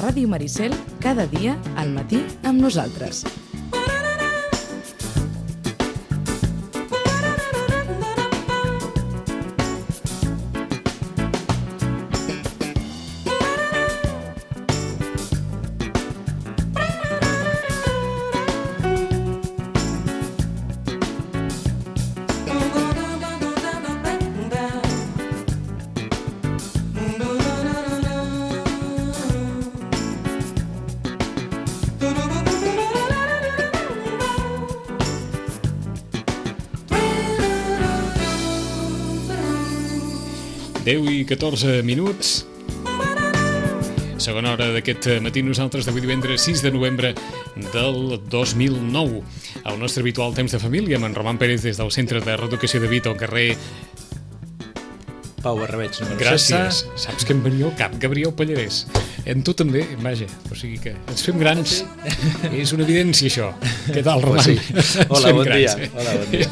Ràdio Maricel, cada dia al matí amb nosaltres. I 14 minuts. Segona hora d'aquest matí, nosaltres d'avui divendres 6 de novembre del 2009. El nostre habitual temps de família amb en Roman Pérez des del Centre de Reeducació de Vito al carrer Pau Barrabeig, número 16. Gràcies. Saps que em venia al cap, Gabriel Pallarès. En tu també, vaja. O sigui que ens fem grans. És una evidència, això. Què tal, Roman? Pues sí. Hola, bon dia. Hola, bon dia.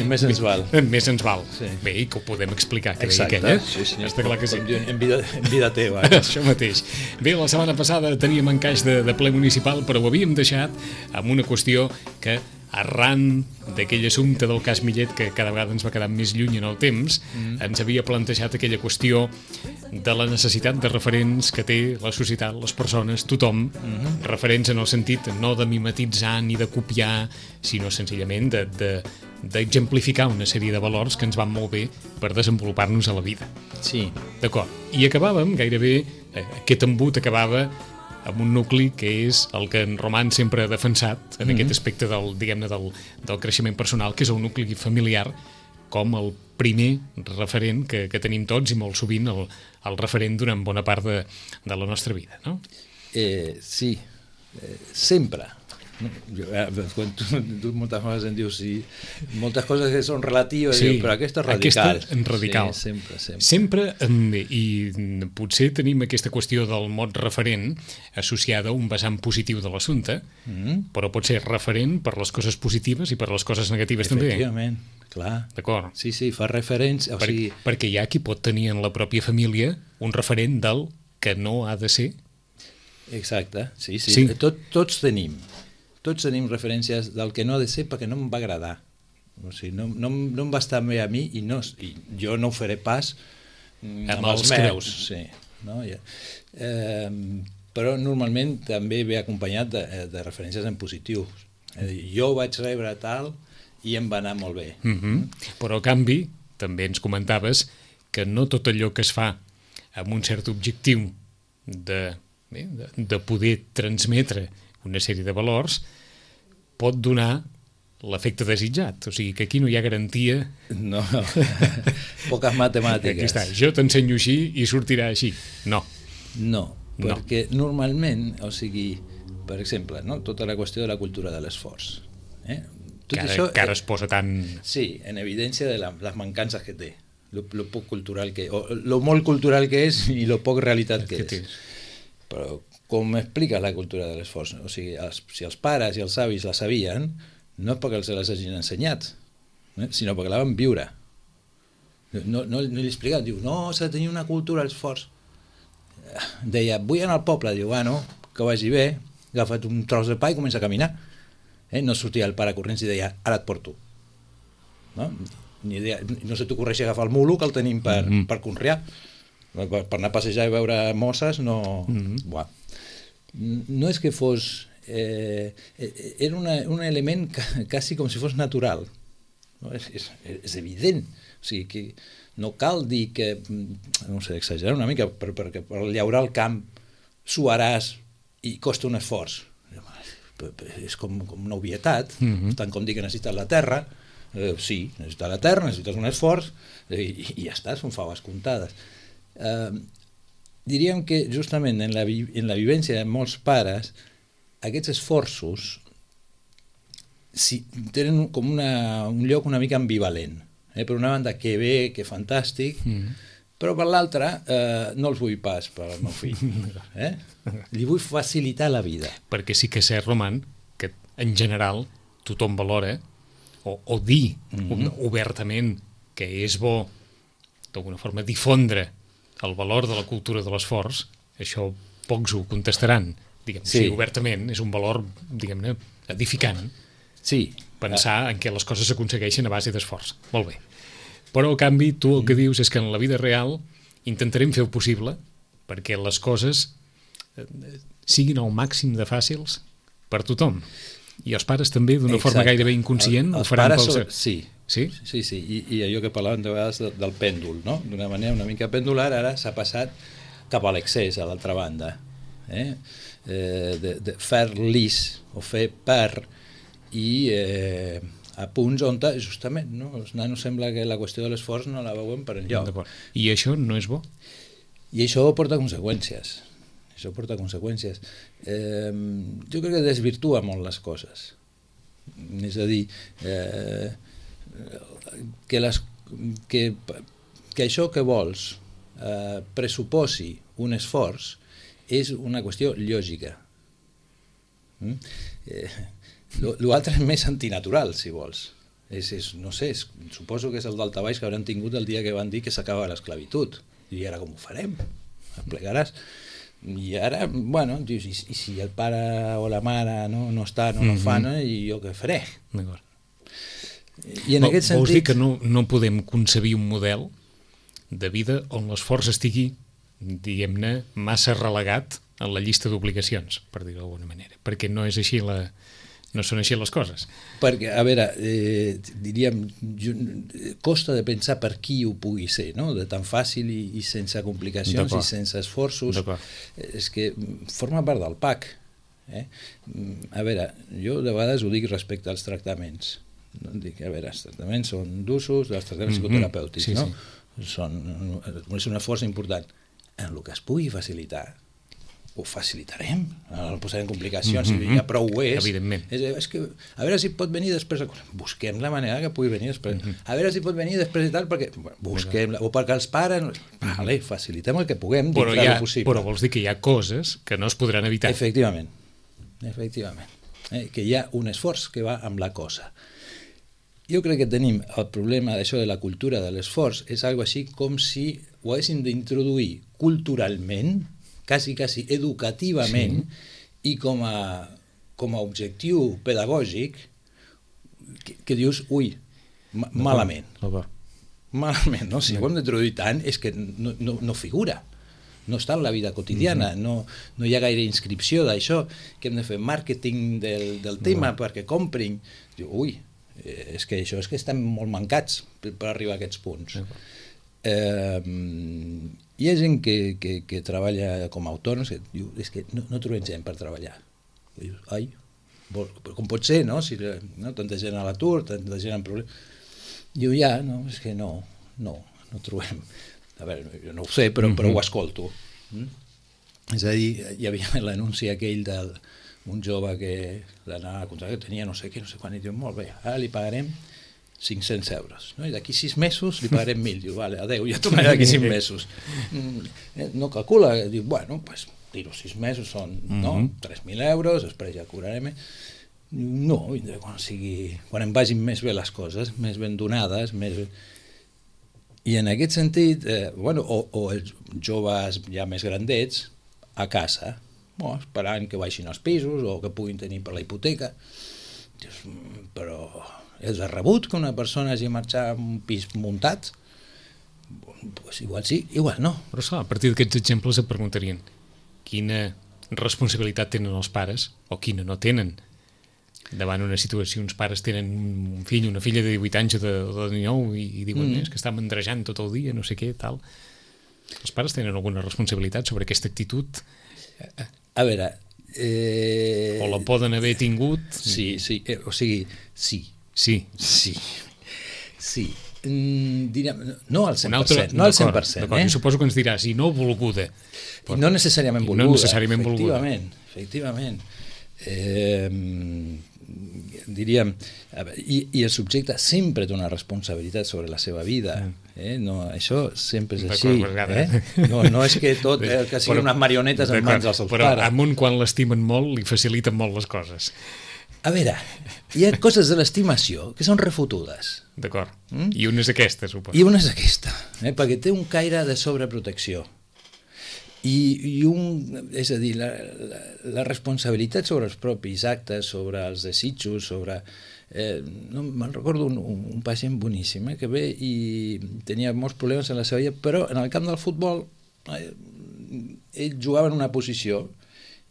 Més ens val. Més ens val. Sí. Bé, i que ho podem explicar, que exacte. deia aquell, Sí, senyor. Està clar que sí. En vida teva. Això mateix. Bé, la setmana passada teníem encaix de ple municipal, però ho havíem deixat amb una qüestió que, arran d'aquell assumpte del cas Millet, que cada vegada ens va quedar més lluny en el temps, ens havia plantejat aquella qüestió de la necessitat de referents que té la societat, les persones, tothom, referents en el sentit no de mimetitzar ni de copiar, sinó senzillament d'exemplificar una sèrie de valors que ens van molt bé per desenvolupar-nos a la vida. Sí. D'acord. I acabàvem, gairebé, aquest embut acabava amb un nucli que és el que en Roman sempre ha defensat en aquest aspecte del, diguem-ne, del creixement personal, que és el nucli familiar com el primer referent que tenim tots i molt sovint el referent durant bona part de la nostra vida, no? Sí, sempre. Quan tu moltes vegades em dius sí, moltes coses que són relatives, sí, però aquesta és radical. Aquesta és radical. Sí, sempre. I potser tenim aquesta qüestió del mot referent associada a un vessant positiu de l'assumpte, però pot ser referent per les coses positives i per les coses negatives també. Efectivament, clar. D'acord. Sí, fa referència. Perquè hi ha qui pot tenir en la pròpia família un referent del que no ha de ser. Exacte, sí. Tots tenim referències del que no ha de ser perquè no em va agradar. O sigui, no em va estar bé a mi i jo no ho faré pas amb els meus. Sí, no? Però normalment també ve acompanyat de referències en positiu. Jo vaig rebre tal i em va anar molt bé. Però a canvi, també ens comentaves que no tot allò que es fa amb un cert objectiu de poder transmetre una sèrie de valors, pot donar l'efecte desitjat. O sigui, que aquí no hi ha garantia. No. Poques matemàtiques. Aquí està, jo t'ensenyo així i sortirà així. No, perquè normalment, o sigui, per exemple, no? Tota la qüestió de la cultura de l'esforç. Que ara es posa tan... Sí, en evidència de les mancances que té, lo poc cultural que... o lo molt cultural que és i lo poc realitat que és. Però com explica la cultura de l'esforç? O sigui, si els pares i els avis la sabien, no és perquè els les hagin ensenyat, sinó perquè la van viure. No li explicaven, diu, no, s'ha de tenir una cultura de l'esforç. Deia, vull anar al poble, diu, bueno, que vagi bé, agafa't un tros de pa i comença a caminar. No sortia el pare corrents i deia, ara et porto. No se t'ocorreix agafar el mulo, que el tenim per conrear. Per anar a passejar i veure mosses, no... No és que fos... era un element quasi com si fos natural. És evident. O sigui, que no cal dir que... No sé, exagerar una mica, perquè per llaurar el camp suaràs i costa un esforç. És com una obvietat, tant com dir que necessites la terra. Sí, necessites la terra, necessites un esforç i ja està, són faves comptades. Diríem que justament en la vivència de molts pares aquests esforços tenen com un lloc una mica ambivalent. Per una banda, que bé, que fantàstic, però per l'altra no els vull pas per al meu fill. Li vull facilitar la vida. Perquè sí que és cert, Roman, que en general tothom valora o dir obertament que és bo d'alguna forma difondre el valor de la cultura de l'esforç, això pocs ho contestaran, diguem, Sí. obertament, és un valor, diguem-ne, edificant. Sí. Pensar en què les coses s'aconsegueixen a base d'esforç. Molt bé. Però, a canvi, tu el que dius és que en la vida real intentarem fer el possible perquè les coses siguin al màxim de fàcils per tothom. I els pares també, d'una forma gairebé inconscient, ho faran pels... Sí. Sí? Sí. I allò que parlàvem de vegades del pèndol, no? D'una manera una mica pendular, ara s'ha passat cap a l'excés, a l'altra banda. De fer lis o fer per i a punts on justament els nanos sembla que la qüestió de l'esforç no la veuen per enlloc. I això no és bo? I això porta conseqüències. Jo crec que desvirtua molt les coses. És a dir, que això que vols pressuposi un esforç és una qüestió lògica. L'altre és més antinatural, si vols. No sé, suposo que és el daltabaix que hauran tingut el dia que van dir que s'acaba l'esclavitud. I ara com ho farem? Et plegaràs? I ara, bueno, dius, i si el pare o la mare no estan o no fan, i jo què faré? D'acord. I en aquest sentit... Vols dir que no podem concebir un model de vida on l'esforç estigui, diguem-ne, massa relegat en la llista d'obligacions, per dir-ho d'alguna manera, perquè no és així no són així les coses. Perquè, a veure, diríem, costa de pensar per qui ho pugui ser, no? De tan fàcil i sense complicacions i sense esforços. És que forma part del PAC. A veure, jo de vegades ho dic respecte als tractaments. Dic, a veure, els tractaments són d'usos, els tractaments psicoterapèutics, no? És un esforç important. En el que es pugui facilitar, ho facilitarem, no posarem complicacions, si ja prou ho és. Evidentment. És que, a veure si pot venir després, busquem la manera que pugui venir després, a veure si pot venir després i tal, perquè busquem, o perquè els pares, vale, facilitem el que puguem dintre del possible. Però vols dir que hi ha coses que no es podran evitar. Efectivament. Que hi ha un esforç que va amb la cosa. Jo crec que tenim el problema d'això de la cultura de l'esforç, és algo així com si ho haguéssim d'introduir culturalment, quasi educativament, i com a objectiu pedagògic que dius, ui, malament. Malament, no? Si ho hem d'introduir tant és que no figura. No està en la vida quotidiana, no hi ha gaire inscripció d'això, que hem de fer màrqueting del tema perquè comprin. Diu, ui, és que això és que estem molt mancats per arribar a aquests punts. Hi ha gent que treballa com a autònoms que diu, és que no trobem gent per treballar. I dius, ai, com pot ser, no? Si tanta gent a l'atur, tanta gent amb problemes. Diu, ja, no, és que no trobem. A veure, jo no ho sé, però ho escolto. És a dir, hi havia l'anunci aquell d'un jove que l'anava a contractar, que tenia no sé què, no sé quan, i diu, molt bé, ara li pagarem 500 euros, no? I d'aquí 6 mesos li pagarem 1.000, diu, vale, adeu, ja tornaré d'aquí 5 mesos. No calcula, diu, bueno, pues, dir-ho 6 mesos són 3.000 euros, després ja cobrarem. No, vindré quan em vagin més bé les coses, més ben donades, més bé. I en aquest sentit, o els joves ja més grandets, a casa, esperant que baixin els pisos o que puguin tenir per la hipoteca. Dius, però és de rebut que una persona hagi marxat a un pis muntat? Pues igual sí, igual no. Però a partir d'aquests exemples et preguntarien quina responsabilitat tenen els pares o quina no tenen davant una situació. Uns pares tenen un fill, una filla de 18 anys o de 19 i diuen que està mandrejant tot el dia, no sé què, tal. Els pares tenen alguna responsabilitat sobre aquesta actitud? A veure... O la poden haver tingut? Sí, o sigui, sí. Diríem, no al 100%, no al 100%. Jo suposo que ens diràs, i no volguda. No necessàriament volguda, efectivament. Diríem, i el subjecte sempre té una responsabilitat sobre la seva vida. Això sempre és així. No és que tot que siguin unes marionetes en mans dels seus pares. Però amunt, quan l'estimen molt, li faciliten molt les coses. A veure, hi ha coses de l'estimació que són refotudes. D'acord. I una és aquesta, suposo. I una és aquesta, perquè té un caire de sobreprotecció. És a dir, la responsabilitat sobre els propis actes, sobre els desitjos, sobre... no, me'n recordo un pacient boníssim que ve i tenia molts problemes en la seva vida, però en el camp del futbol ell jugava en una posició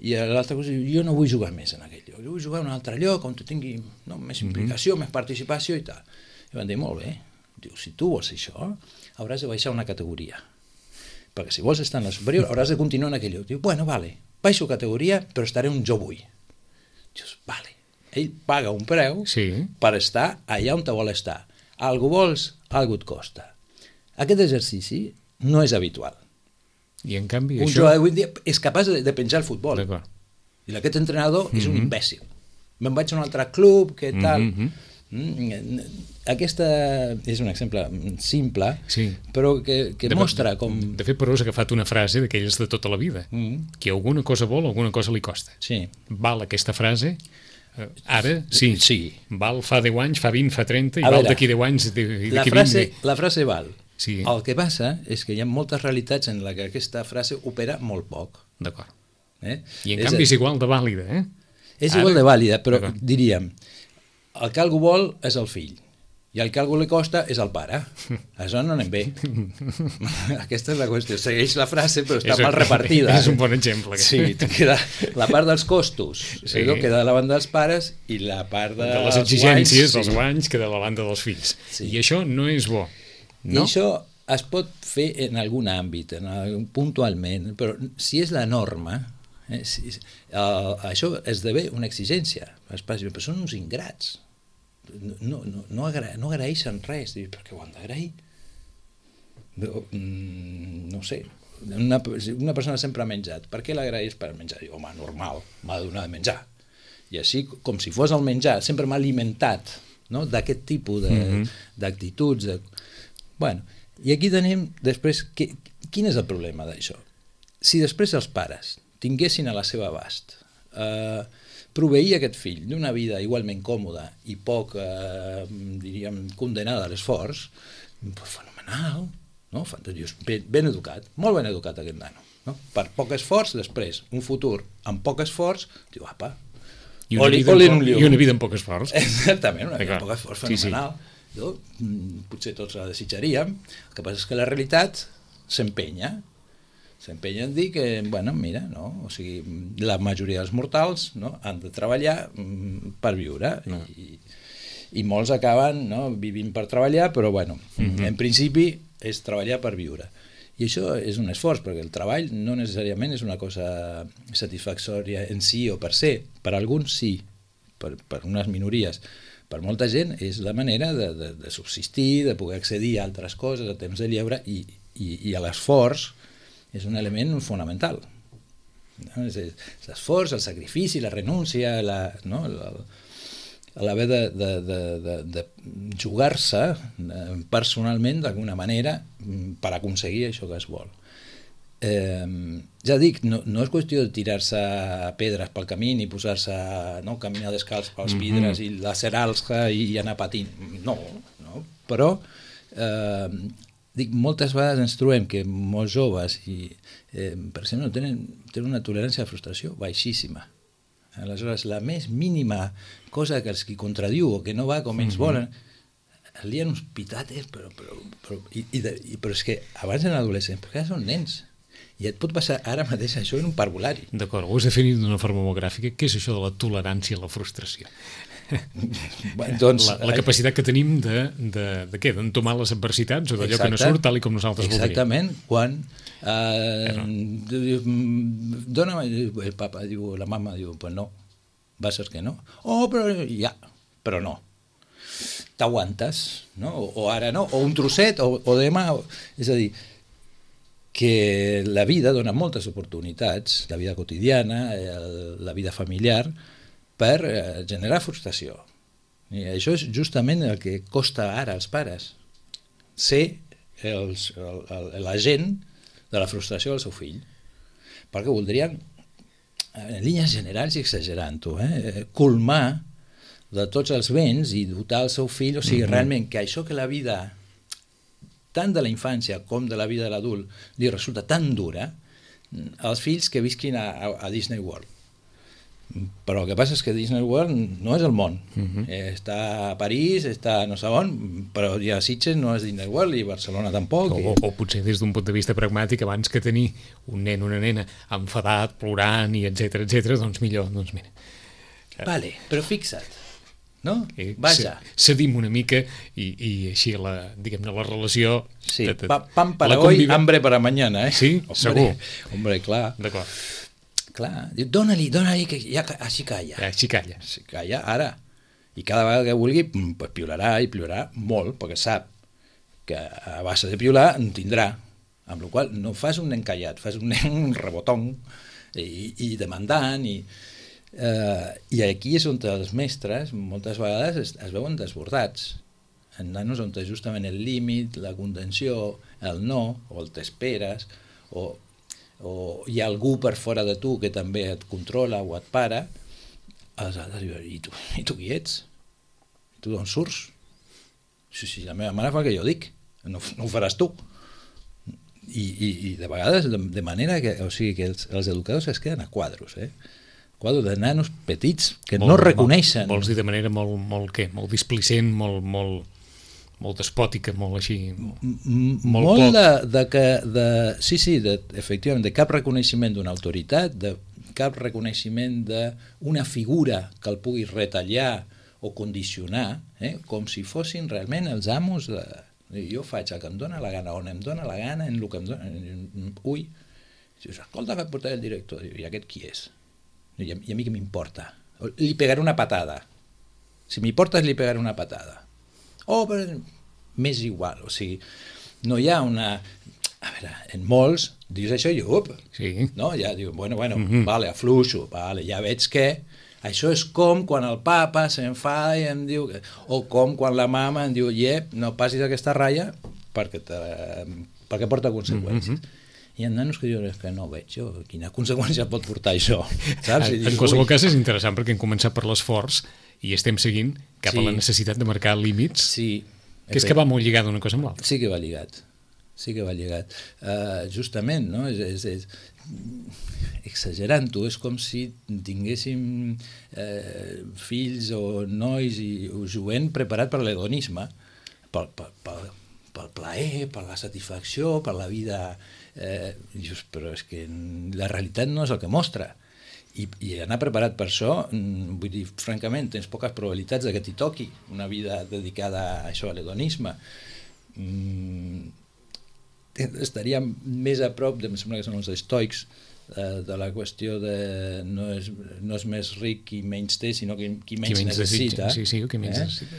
i a l'altra cosa, jo no vull jugar més en aquell lloc, jo vull jugar en un altre lloc on tingui més implicació, més participació i tal. I van dir, molt bé, diu, si tu vols això, hauràs de baixar una categoria, perquè si vols estar en la superior hauràs de continuar en aquell lloc. Diu, bueno, vale, baixo categoria, però estaré on jo vull. Dius, vale. Ell paga un preu per estar allà on te vol estar. Algú vols, algú et costa. Aquest exercici no és habitual. I en canvi un jugador avui dia és capaç de penjar el futbol. I aquest entrenador és un imbècil. Me'n vaig a un altre club, què tal... Aquesta és un exemple simple, però que mostra com... De fet, però has agafat una frase d'aquelles de tota la vida. Que alguna cosa vol, alguna cosa li costa. Val aquesta frase... Ara, sí. Val fa 10 anys, fa 20, fa 30 i val d'aquí 10 anys i d'aquí 20. La frase val. El que passa és que hi ha moltes realitats en què aquesta frase opera molt poc. D'acord. I en canvi és igual de vàlida, eh? És igual de vàlida, però diríem, el que algú vol és el fill i el que algú li costa és el pare. Això no anem bé. Aquesta és la qüestió. Segueix la frase, però està mal repartida. És un bon exemple. Sí, queda la part dels costos, queda a la banda dels pares i la part de les exigències, dels guanys, queda a la banda dels fills. I això no és bo. I això es pot fer en algun àmbit, puntualment, però si és la norma, això esdevé una exigència. Però són uns ingrats. No agraeixen res. Per què ho han d'agrair? No sé. Una persona sempre ha menjat. Per què l'agraeix per menjar? Diu, home, normal, m'ha de donar de menjar. I així, com si fos el menjar, sempre m'ha alimentat d'aquest tipus d'actituds. Bueno, i aquí tenim després... Quin és el problema d'això? Si després els pares tinguessin a la seva abast proveir aquest fill d'una vida igualment còmoda i poc, diríem, condenada a l'esforç, fenomenal, no? Ben educat, molt ben educat aquest nano. No? Per poc esforç, després, un futur amb poc esforç, diu, apa, i una vida amb poc esforç. Exactament, una vida amb poc esforç, fenomenal. Potser tots la desitjaríem, el que passa és que la realitat s'empenya en dir que, bueno, mira, o sigui, la majoria dels mortals han de treballar per viure i molts acaben vivint per treballar, però, bueno, en principi és treballar per viure. I això és un esforç, perquè el treball no necessàriament és una cosa satisfactòria en si o per se. Per alguns sí, per unes minories. Per molta gent és la manera de subsistir, de poder accedir a altres coses, a temps de lleure, i l'esforç és un element fonamental. L'esforç, el sacrifici, la renúncia, l'haver de jugar-se personalment d'alguna manera per aconseguir això que es vol. Ja dic, no és qüestió de tirar-se pedres pel camí ni posar-se caminar descalç pels vidres i lacerar-se i anar patint. No, però dic, moltes vegades ens trobem que molts joves per exemple tenen una tolerància a la frustració baixíssima. Aleshores, la més mínima cosa que els contradiu o que no va com ells volen, lien uns pitates, però és que abans eren adolescents, perquè ara són nens. I et pot passar ara mateix això en un parvulari. D'acord, ho has definit d'una forma molt gràfica. Què és això de la tolerància a la frustració? La capacitat que tenim d'entomar les adversitats o d'allò que no surt tal com nosaltres voldríem. Exactament, quan el papa diu, la mama diu, pues no, va ser que no. Però no. T'aguantes, o ara no, o un trosset, o demà. És a dir, que la vida dona moltes oportunitats, la vida quotidiana, la vida familiar, per generar frustració. I això és justament el que costa ara als pares, ser l'agent de la frustració del seu fill, perquè voldrien, en línies generals i exagerant-ho, colmar de tots els béns i dotar el seu fill, o sigui, realment que això que la vida, tant de la infància com de la vida de l'adult, li resulta tan dura, els fills que visquin a Disney World. Però el que passa és que Disney World no és el món. Està a París, està no sé on, però ja Sitges no és Disney World i Barcelona tampoc. O potser des d'un punt de vista pragmàtic, abans que tenir un nen o una nena enfadat, plorant i etcètera, doncs millor, doncs mira. Vale, però fixa't, no? Vaja. Cedim una mica i així diguem-ne la relació... Sí, pan para hoy, hambre para mañana, eh? Sí, segur. Hombre, clar. D'acord. Clar, diu, dona-li, que ja així calla. Així calla. Així calla, ara. I cada vegada que vulgui, pues piularà i piularà molt, perquè sap que a base de piular en tindrà. Amb la qual cosa no fas un nen callat, fas un nen un rebotón i demandant. I aquí és on els mestres moltes vegades es veuen desbordats. En nanos on justament el límit, la contenció, el no, o el t'esperes, o hi ha algú per fora de tu que també et controla o et para, els altres diuen, i tu qui ets? Tu d'on surts? Si la meva mare fa el que jo dic, no ho faràs tu. I de vegades, de manera que, o sigui, que els educadors es queden a quadros, quadros de nanos petits que no reconeixen. Vols dir de manera molt displicent, molt despòtica, molt així... Molt efectivament, de cap reconeixement d'una autoritat, de cap reconeixement d'una figura que el pugui retallar o condicionar, com si fossin realment els amos de... Jo faig el que em dóna la gana, on em dóna la gana, en el que em dóna... Ui, dius, escolta, que portaré el director, i aquest qui és? I a mi què m'importa? Li pegaré una patada. Si m'importa, li pegaré una patada. Però m'és igual, o sigui, no hi ha una... A veure, en molts dius això i sí. No? Ja diu, bueno, vale, afluixo, vale, ja veig que això és com quan el papa s'enfada i em diu... O com quan la mama em diu, no passis aquesta ratlla perquè porta conseqüències. Hi ha nanos que diuen que no veig jo, quina conseqüència pot portar això, saps? En qualsevol cas és interessant perquè hem començat per l'esforç i estem seguint cap a la necessitat de marcar límits, que és que va molt lligat una cosa amb l'altra. Sí que va lligat. Justament, no? Exagerant-ho, és com si tinguéssim fills o nois o jovent preparat per l'hedonisme, pel plaer, per la satisfacció, per la vida... Però és que la realitat no és el que mostra. I anar preparat per això, vull dir, francament, tens poques probabilitats que t'hi toqui una vida dedicada a això, a l'hedonisme. Estaria més a prop, em sembla que són els estoics, de la qüestió de no és més ric qui menys té, sinó qui menys necessita. Sí, qui menys necessita.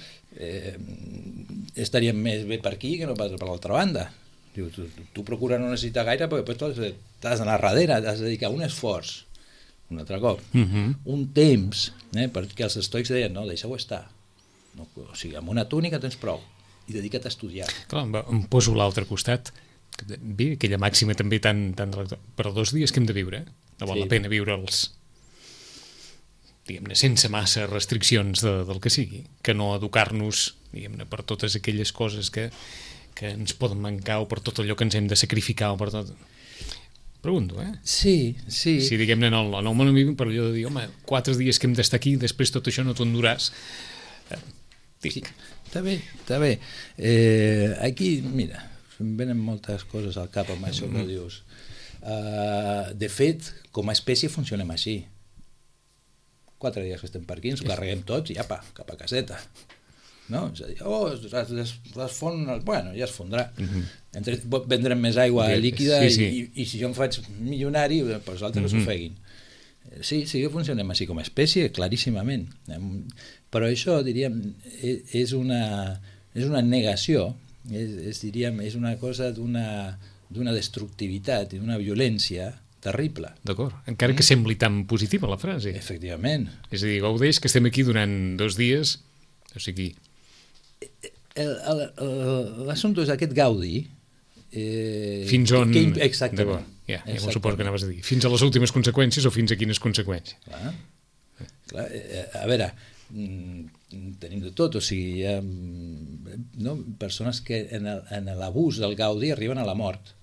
Estaríem més bé per aquí que no pas per l'altra banda. Diu, tu procura no necessitar gaire perquè després t'has d'anar darrere, t'has de dedicar un esforç, un altre cop, un temps, perquè els estoics deien, no, deixa-ho estar. No, o sigui, amb una túnica tens prou i dedica't a estudiar. Clar, em poso a l'altre costat. Bé, aquella màxima també tan per 2 dies que hem de viure, no val la pena viure'ls, diguem-ne, sense massa restriccions del que sigui, que no educar-nos, diguem-ne, per totes aquelles coses que ens poden mancar o per tot allò que ens hem de sacrificar o per tot... Pregunto, Sí. Si, diguem-ne, en el món vivim per allò de dir, home, 4 dies que hem d'estar aquí, després tot això no t'ho enduràs. Sí, està bé. Aquí, mira, em venen moltes coses al cap amb això que dius. De fet, com a espècie funcionem així. 4 dies que estem per aquí, ens carreguem tots i apa, cap a caseta. No? És a dir, es fon... Bueno, ja es fondrà. Vendrem més aigua líquida i si jo em faig milionari, doncs els altres s'ofeguin. Sí que funcionem així com a espècie, claríssimament. Però això, diríem, és una negació, és una cosa d'una destructivitat i d'una violència terrible. D'acord, encara que sembli tan positiva la frase. Efectivament. És a dir, gaudeix que estem aquí durant 2 dies, o sigui... L'assumpte és aquest gaudi... Fins on... Exactament. Ja m'ho suposo que anaves a dir. Fins a les últimes conseqüències o fins a quines conseqüències? Clar, a veure, tenim de tot, o sigui, hi ha persones que en l'abús del gaudi arriben a la mort.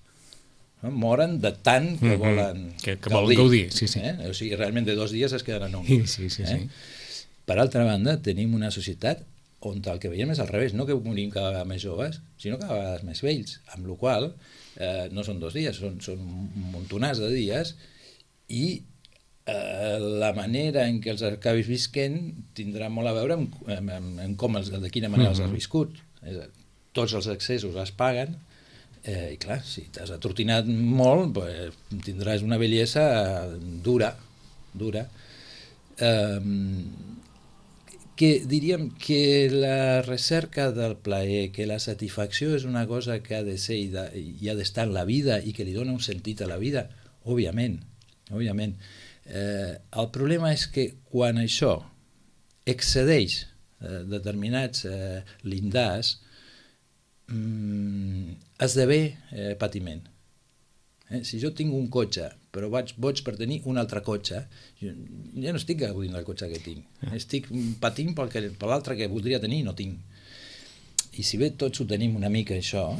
no? Moren de tant que volen que volen gaudir. Sí. O sigui, realment de 2 dies es queden en un. Sí. Per altra banda, tenim una societat on el que veiem és al revés, no que morim cada vegada més joves, sinó cada vegada més vells, amb la qual no són 2 dies, són un montonàs de dies, i la manera en què els acabis visquent tindrà molt a veure amb com de quina manera els has viscut. Tots els excessos es paguen, i clar, si t'has atrotinat molt, pues, tindràs una bellesa dura. Que diríem que la recerca del plaer, que la satisfacció és una cosa que ha de ser i ha d'estar en la vida i que li dona un sentit a la vida, òbviament. El problema és que quan això excedeix determinats llindars, esdevé patiment. Si jo tinc un cotxe però boig per tenir un altre cotxe, ja no estic gaudint del cotxe que tinc, estic patint per l'altre que voldria tenir i no tinc. I si bé tots ho tenim una mica això,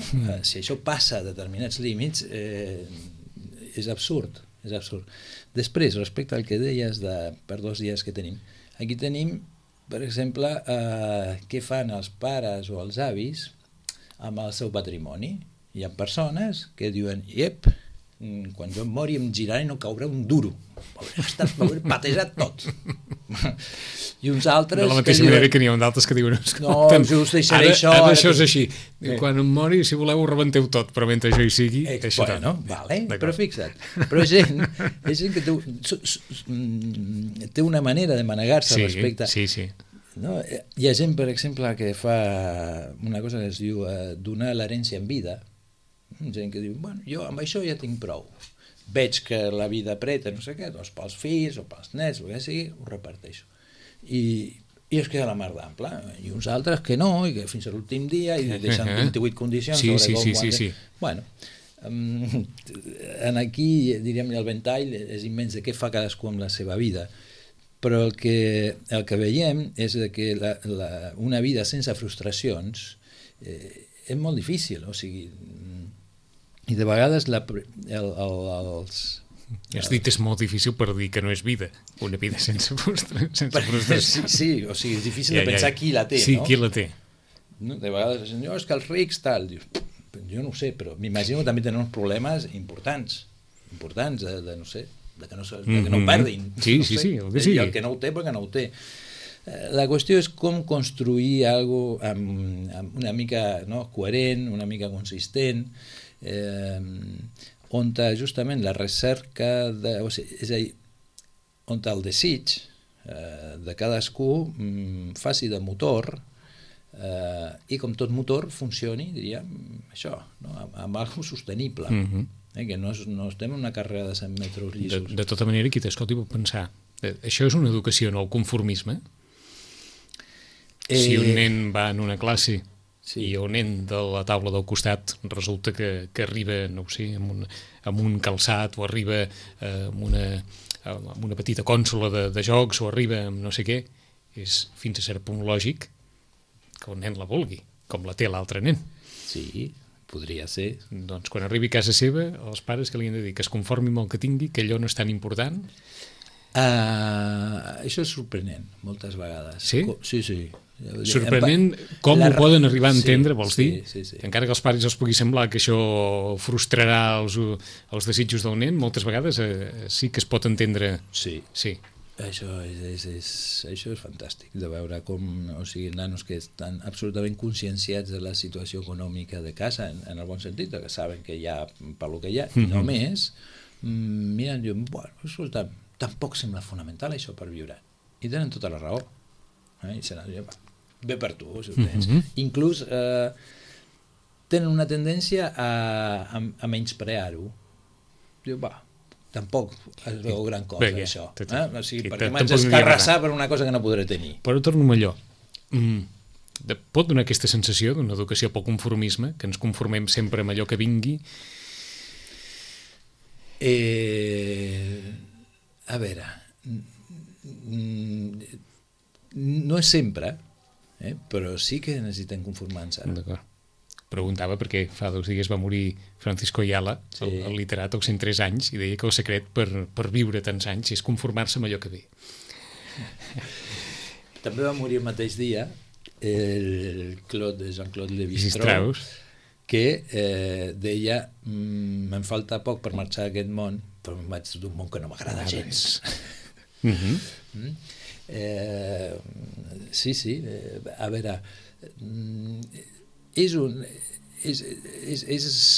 si això passa a determinats límits, és absurd. Després, respecte al que deies per 2 dies que tenim, aquí tenim, per exemple, què fan els pares o els avis amb el seu patrimoni. Hi ha persones que diuen, quan jo em mori em giraré i no caurà un duro, m'hauré patejat tot. I uns altres... De la mateixa manera que n'hi ha d'altres que diuen, no, us deixaré això... Ara això és així. Quan em mori, si voleu, ho rebenteu tot, però mentre això hi sigui... Bueno, però fixa't. Però és gent que té una manera de manegar-se respecte... Sí. No? Hi ha gent, per exemple, que fa una cosa que es diu donar l'herència en vida. Gent que diu, bueno, jo amb això ja tinc prou. Veig que la vida apreta, no sé què, doncs pels fills o pels nets, el que sigui, ho reparteixo. I es queda la mar d'ample. I uns altres que no, i que fins a l'últim dia, i deixen 28 condicions sobre com... Sí. Bueno, aquí, diríem, el ventall és immens de què fa cadascú amb la seva vida. Però el que veiem és que una vida sense frustracions és molt difícil, o sigui, i de vegades Has dit és molt difícil per dir que no és vida, una vida sense frustració. Sí, o sigui, és difícil de pensar qui la té, no? Sí, qui la té. De vegades, és que els rics tal, jo no ho sé, però m'imagino que també tenen uns problemes importants, de no sé, de que no perdin. Sí. I el que no ho té, perquè no ho té. La qüestió és com construir alguna cosa amb una mica coherent, una mica consistent, on justament la recerca, és a dir, on el desig de cadascú faci de motor i com tot motor funcioni, diríem, això, amb alguna cosa sostenible. Que no estem en una carrera de 100 metres llisos. De tota manera, qui t'escolti pot pensar, això és una educació en el conformisme? Si un nen va en una classe i el nen de la taula del costat resulta que arriba, no ho sé, amb un calçat o arriba amb una petita consola de jocs o arriba amb no sé què, és fins a cert punt lògic que el nen la vulgui, com la té l'altre nen. Sí, podria ser. Doncs quan arribi a casa seva, els pares que li han de dir que es conformi amb el que tingui, que allò no és tan important. Això és sorprenent, moltes vegades. Sí? Sí. Sorprenent com ho poden arribar a entendre, vols dir? Sí. Encara que als pares els pugui semblar que això frustrarà els desitjos del nen, moltes vegades sí que es pot entendre. Sí. Això és fantàstic, de veure com, o sigui, nanos que estan absolutament conscienciats de la situació econòmica de casa, en el bon sentit, que saben que hi ha per lo que hi ha, i només miren, diuen, bueno, escolta, tampoc sembla fonamental això per viure. I tenen tota la raó. I se n'han dit, bé per tu, si ho tens. Inclús tenen una tendència a menysprear-ho. Diu, tampoc es veu gran cosa, això. O sigui, perquè m'haig d'escarrassar per una cosa que no podré tenir. Però torno amb allò. Pot donar aquesta sensació d'una educació pel conformisme, que ens conformem sempre amb allò que vingui? A veure, no és sempre, però sí que necessitem conformar-nos. preguntava perquè fa 2 dies va morir Francisco Ayala, el literat, als 103 anys, i deia que el secret per viure tants anys és conformar-se amb allò que ve. També va morir el mateix dia el Jean-Claude Lévi-Strauss, que deia me'n falta poc per marxar d'aquest món, però me'n vaig d'un món que no m'agrada gens. Sí, a veure, és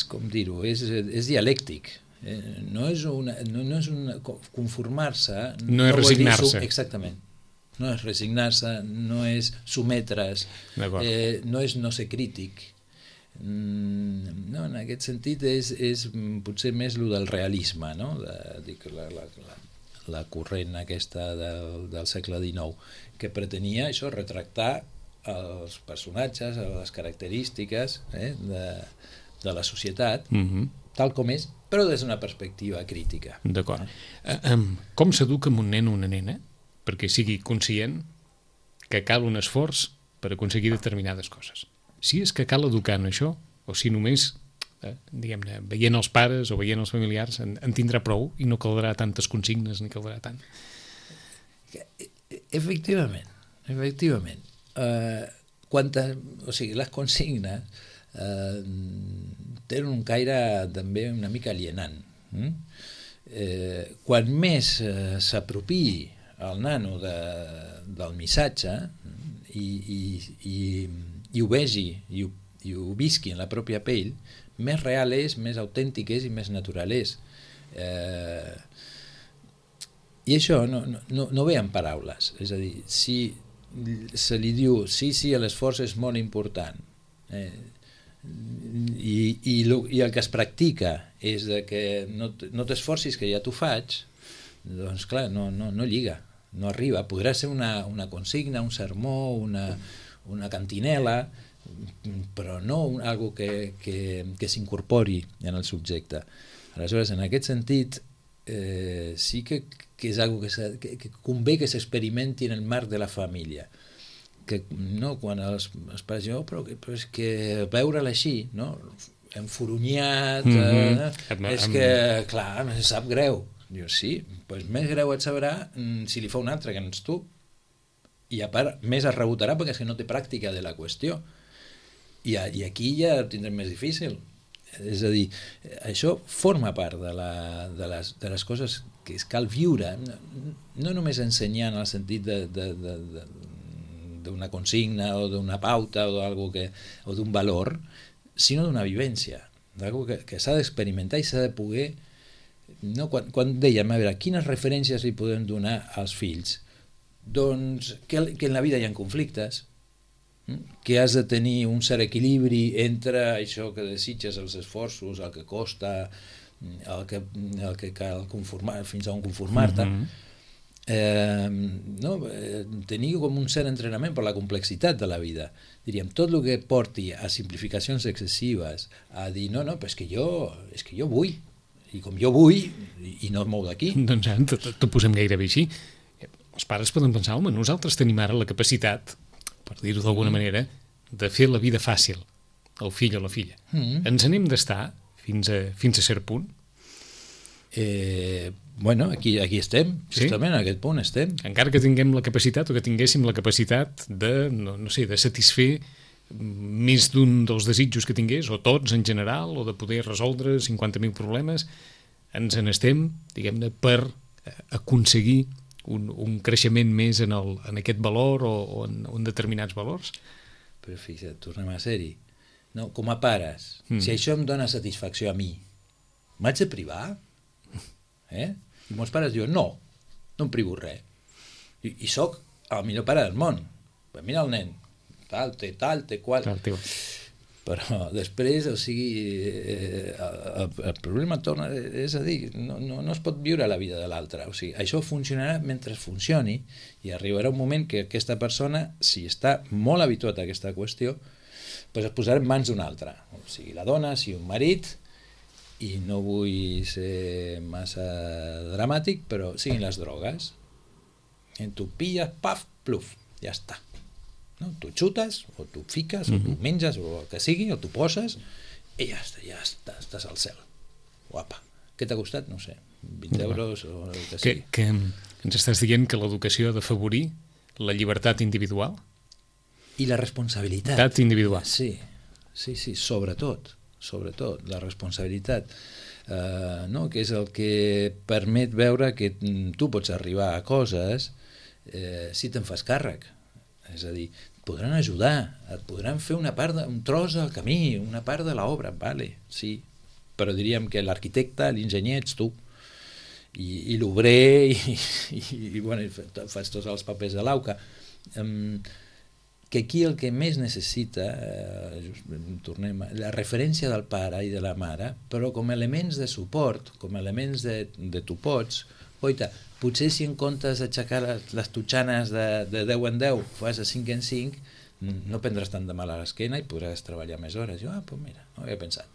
com dir-ho, és dialèctic. No és conformar-se, no és resignar-se. Exactament. No és resignar-se, no és sometre's, no és no ser crític. No, en aquest sentit és potser més el del realisme, no? La corrent aquesta del segle XIX, que pretenia això, retractar els personatges, les característiques de la societat, tal com és, però des d'una perspectiva crítica. D'acord. Com s'educa un nen o una nena perquè sigui conscient que cal un esforç per aconseguir determinades coses? Si és que cal educar en això, o si només, diguem-ne, veient els pares o veient els familiars en tindrà prou i no caldrà tantes consignes ni caldrà tant. Efectivament. O sigui, les consignes tenen un caire també una mica alienant. Quan més s'apropiï el nano del missatge i ho vegi i ho visqui en la pròpia pell, més real és, més autèntic és i més natural és. I això no ve en paraules, és a dir, si se li diu sí, l'esforç és molt important i el que es practica és que no t'esforcis que ja t'ho faig, doncs clar, no lliga, no arriba. Podrà ser una consigna, un sermó, una cantinela, però no algo que s'incorpori en el subjecte. Aleshores, en aquest sentit, sí que és algo que convé que s'experimenti en el marc de la família. No, quan els pares diuen, però és que veure-la així, no? Enforonyat, és que, clar, em sap greu. Diu, sí, doncs més greu et sabrà si li fa un altre que no ets tu. I a part, més es rebotarà perquè és que no té pràctica de la qüestió. I aquí ja ho tindrem més difícil. És a dir, això forma part de les coses que cal viure, no només ensenyar en el sentit d'una consigna o d'una pauta o d'un valor, sinó d'una vivència, d'algo que s'ha d'experimentar i s'ha de poder... No? Quan dèiem, a veure, quines referències li podem donar als fills? Doncs que en la vida hi ha conflictes, que has de tenir un cert equilibri entre això que desitges, els esforços, el que costa, el que cal conformar, fins a on conformar-te. Tenir com un cert entrenament per la complexitat de la vida. Diríem, tot el que porti a simplificacions excessives, a dir, no, però és que jo vull, i com jo vull, i no et mou d'aquí. Doncs t'ho posem gairebé així. Els pares poden pensar, home, nosaltres tenim ara la capacitat, per dir-ho d'alguna manera, de fer la vida fàcil al fill o la filla. Ens n'hem d'estar fins a cert punt? Bueno, aquí estem, justament en aquest punt estem. Encara que tinguem la capacitat o que tinguéssim la capacitat de, no sé, de satisfer més d'un dels desitjos que tingués, o tots en general, o de poder resoldre 50.000 problemes, ens n'estem, diguem-ne, per aconseguir un creixement més en aquest valor o en determinats valors. Però fixa't, tornem a ser-hi. No, com a pares, si això em dona satisfacció a mi, m'haig de privar? I molts pares diuen, no em privo res. I soc el millor pare del món. Però mira el nen, tal, té qual. Però després, o sigui, el problema torna, és a dir, no es pot viure la vida de l'altre. O sigui, això funcionarà mentre funcioni i arribarà un moment que aquesta persona, si està molt habituat a aquesta qüestió, doncs es posarà en mans d'un altre. O sigui, la dona, si un marit, i no vull ser massa dramàtic, però siguin les drogues. Tu pilles, paf, pluf, ja està. no? Tu xutes, o tu fiques, o tu menges, o el que sigui, o tu poses, i ja estàs al cel. Guapa. Què t'ha costat? No sé, 20 euros o el que sigui. Que ens estàs dient que l'educació ha d'afavorir la llibertat individual? I la responsabilitat. Llibertat individual. Sí, sobretot, la responsabilitat, no? Que és el que permet veure que tu pots arribar a coses si te'n fas càrrec. És a dir, et podran ajudar, et podran fer un tros del camí, una part de l'obra, vale, sí, però diríem que l'arquitecte, l'enginyer ets tu, i l'obrer, i bueno, fas tots els papers de l'auca. Que aquí el que més necessita, tornem a la referència del pare i de la mare, però com a elements de suport, com a elements de tu pots, oita, potser si en comptes d'aixecar les totxanes de 10 en 10 fas de 5 en 5, no prendràs tant de mal a l'esquena i podràs treballar més hores. Jo, doncs mira, no ho havia pensat.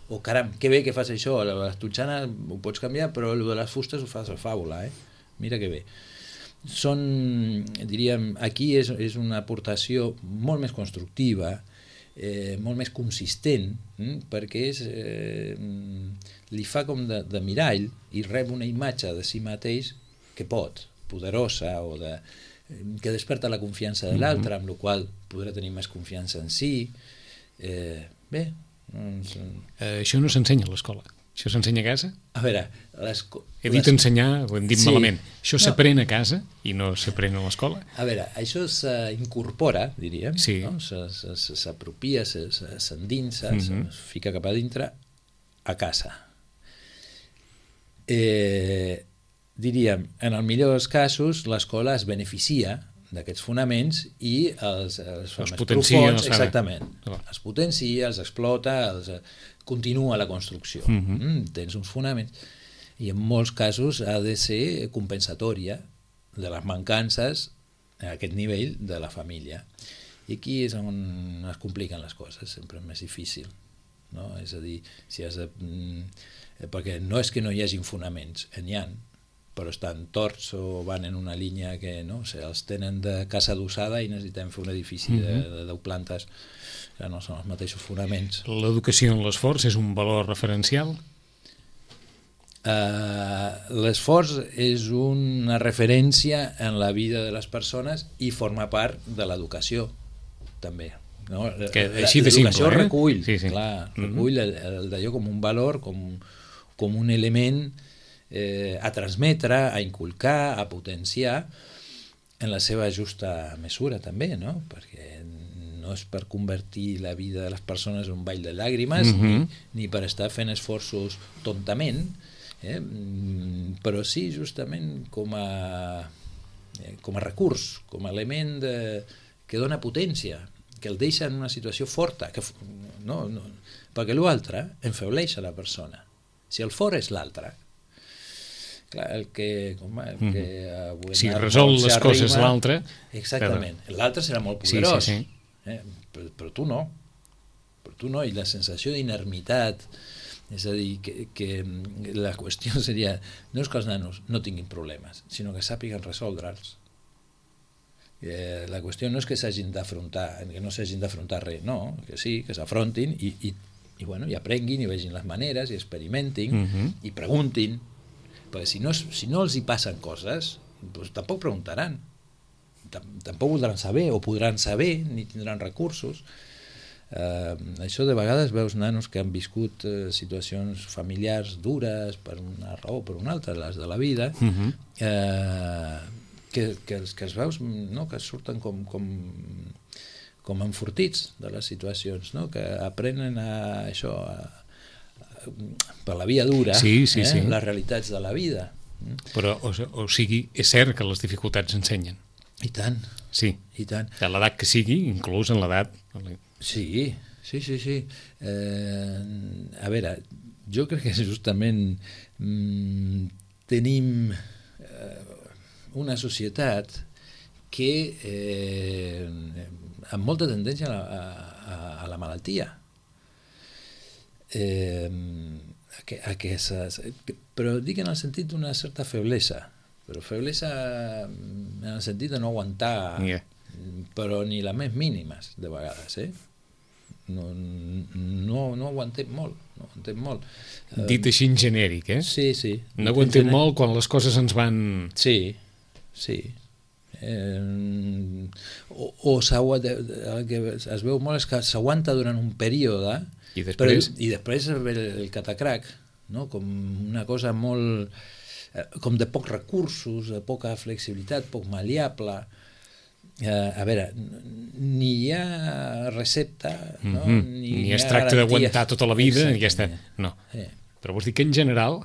O caram, que bé que fas això, les totxanes ho pots canviar, però el de les fustes ho fas a fàbula, mira que bé. Diríem, aquí és una aportació molt més constructiva, molt més consistent, perquè li fa com de mirall i rep una imatge de si mateix que pot, poderosa, o que desperta la confiança de l'altre, amb la qual podrà tenir més confiança en si. Bé. Això no s'ensenya a l'escola. Això s'ensenya a casa? A veure, he dit ensenyar, ho hem dit malament. Això s'aprèn a casa i no s'aprèn a l'escola? A veure, això s'incorpora, diríem, s'apropia, s'endinsa, es fica cap a dintre a casa. Diríem, en el millor dels casos, l'escola es beneficia d'aquests fonaments i els potencia, exactament, els potencia, els explota, continua la construcció. Tens uns fonaments i en molts casos ha de ser compensatòria de les mancances a aquest nivell de la família. I aquí és on es compliquen les coses, sempre és més difícil, no? És a dir, perquè no és que no hi hagi fonaments, n'hi ha, però estan torts o van en una línia que els tenen de casa adossada i necessitem fer un edifici de 10 plantes, que no són els mateixos fonaments. L'educació en l'esforç és un valor referencial? L'esforç és una referència en la vida de les persones i forma part de l'educació, també. L'educació recull, recull d'allò com un valor, com un element a transmetre, a inculcar, a potenciar en la seva justa mesura també, no? Perquè no és per convertir la vida de les persones en un ball de làgrimes ni per estar fent esforços tontament, però sí justament com a recurs, com a element que dona potència, que el deixa en una situació forta, perquè l'altre enfebleix a la persona. Si el fort és l'altre, clar, el que si resol les coses l'altre, exactament, l'altre serà molt poderós, però tu no, i la sensació d'inermitat, és a dir, que la qüestió seria no és que els nanos no tinguin problemes, sinó que sàpiguen resoldre'ls. La qüestió no és que s'hagin d'afrontar, que no s'hagin d'afrontar res, no, que sí, que s'afrontin i aprenguin i vegin les maneres i experimentin i preguntin, perquè si no els hi passen coses, doncs tampoc preguntaran, tampoc voldran saber o podran saber, ni tindran recursos. Això de vegades veus nanos que han viscut situacions familiars dures per una raó o per una altra, les de la vida, que els veus que surten com enfortits de les situacions, que aprenen això per la via dura, les realitats de la vida. Però, o sigui, és cert que les dificultats ensenyen. I tant. Sí, i tant. De l'edat que sigui, inclús en l'edat. Sí. A veure, jo crec que justament tenim una societat que amb molta tendència a la malaltia, però dic en el sentit d'una certa feblesa, però feblesa en el sentit de no aguantar però ni les més mínimes, de vegades, No ho entenc molt, no ho entenc molt. Dit així en genèric, Sí. No ho entenc molt quan les coses ens van... Sí. El que es veu molt és que s'aguanta durant un període i després ve el catacrac, no? Com una cosa molt... com de pocs recursos, de poca flexibilitat, poc maleable. A veure, ni hi ha recepta, no? Ni es tracta d'aguantar tota la vida, i ja està. No. Però vols dir que en general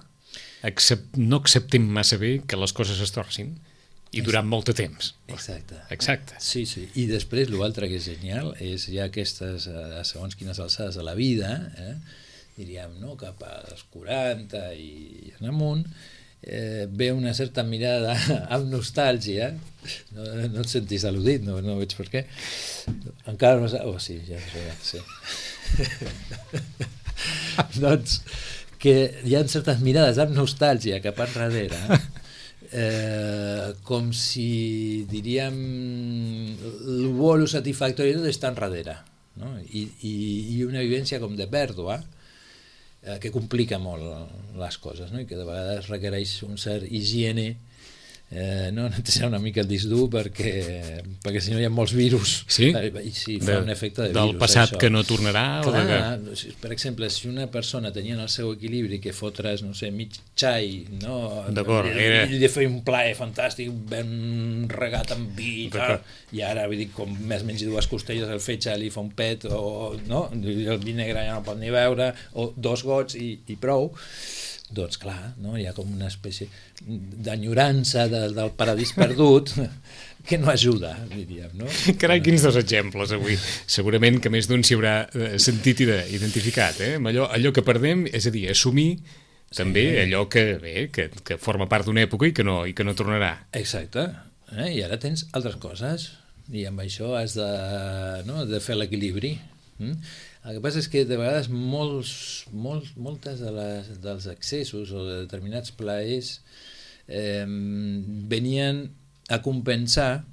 no acceptem massa bé que les coses es torcin i durant molt de temps. Exacte. Sí. I després l'altre que és genial és ja aquestes, segons quines alçades de la vida, diríem, no? Cap als 40 i en amunt, ve una certa mirada amb nostàlgia. No et sentis al·ludit, no veig per què. Encara no saps... sí, ja sé. Doncs que hi ha certes mirades amb nostàlgia cap enrere, com si, diríem, el bo, el satisfactori tot està enrere, no? I una vivència com de pèrdua, que complica molt les coses, no? I que de vegades requereix un cert higiene, no netejar una mica el disc dur perquè si no hi ha molts virus, i si fa un efecte de virus. Del passat que no tornarà? Per exemple, si una persona tenia en el seu equilibri que fotres, no sé, mig xai, no? I de fer un plaer fantàstic, ben regat amb vi i tal, i ara, vull dir, com més menys dues costelles, el fetge li fa un pet, o no? El vi negre ja no pot ni beure, o 2 gots i prou. Doncs clar, no? Hi ha com una espècie d'enyorança del paradís perdut que no ajuda, diríem, no? Carai, quins 2 exemples avui. Segurament que més d'un s'hi haurà sentit i identificat, allò que perdem, és a dir, assumir també allò que forma part d'una època i que no tornarà. Exacte, i ara tens altres coses i amb això has de fer l'equilibri. El que passa és que de vegades moltes dels excessos o de determinats plaers venien a compensar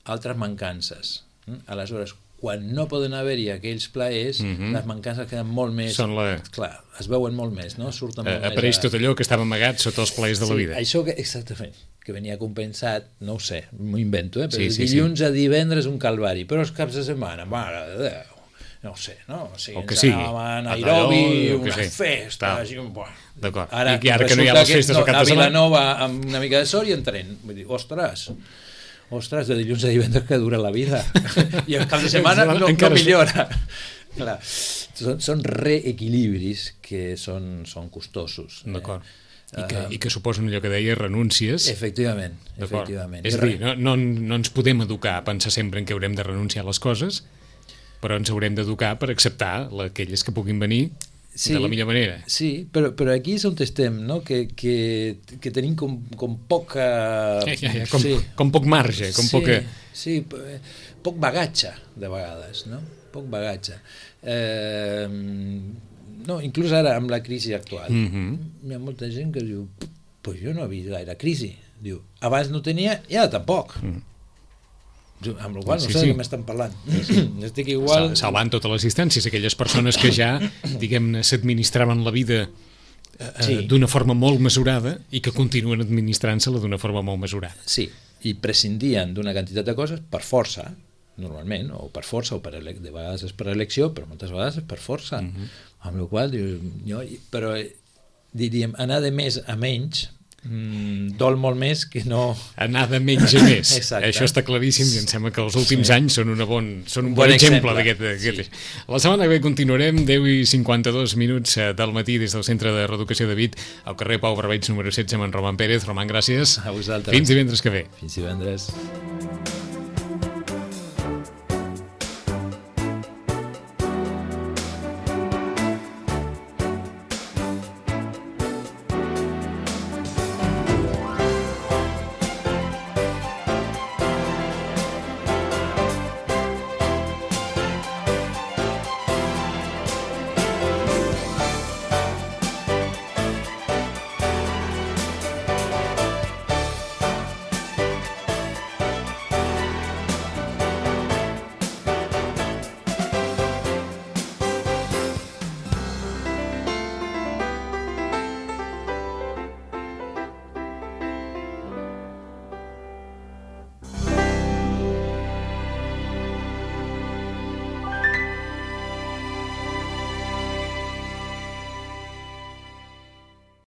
altres mancances. Aleshores, quan no poden haver-hi aquells plaers, les mancances queden molt més... Clar, es veuen molt més, no? Surten molt més... Apareix tot allò que estava amagat sota els plaers de la vida. Això exactament, que venia compensat, no ho sé, m'ho invento, però dilluns a divendres un calvari, però els caps de setmana, mare de Déu, no ho sé, no? O sigui, ens anàvem a Nairobi, unes festes... D'acord. I ara que no hi ha les festes al cap de setmana... A Vilanova amb una mica de sort i en tren. Vull dir, ostres, de dilluns a divendres que dura la vida. I el cap de setmana no millora. Clar, són reequilibris que són costosos. D'acord. I que suposen allò que deia renúncies. Efectivament. És a dir, no ens podem educar a pensar sempre en què haurem de renunciar a les coses, però ens haurem d'educar per acceptar aquelles que puguin venir de la millor manera. Sí, però aquí és on estem, no? Que tenim com poca... Com poc marge, com poca... Sí, poc bagatge, de vegades, no? Poc bagatge. No, inclús ara, amb la crisi actual, hi ha molta gent que diu, pues jo no he vist gaire crisi. Diu, abans no tenia i ara tampoc. Amb la qual no sé de què m'estan parlant. Estic igual... Salvant totes les distàncies, aquelles persones que ja, diguem-ne, s'administraven la vida d'una forma molt mesurada i que continuen administrant-se-la d'una forma molt mesurada. Sí, i prescindien d'una quantitat de coses per força, normalment, o per força, de vegades és per elecció, però moltes vegades és per força. Amb la qual però diríem, anar de més a menys dol molt més que no... Anar de menys a més. Exacte. Això està claríssim i em sembla que els últims anys són un bon exemple d'aquest. La setmana que ve continuarem 10:52 del matí des del Centre de Reeducació de Vic al carrer Pau Barbeig número 16 amb en Roman Pérez. Roman, gràcies. A vosaltres. Fins divendres que ve. Fins divendres.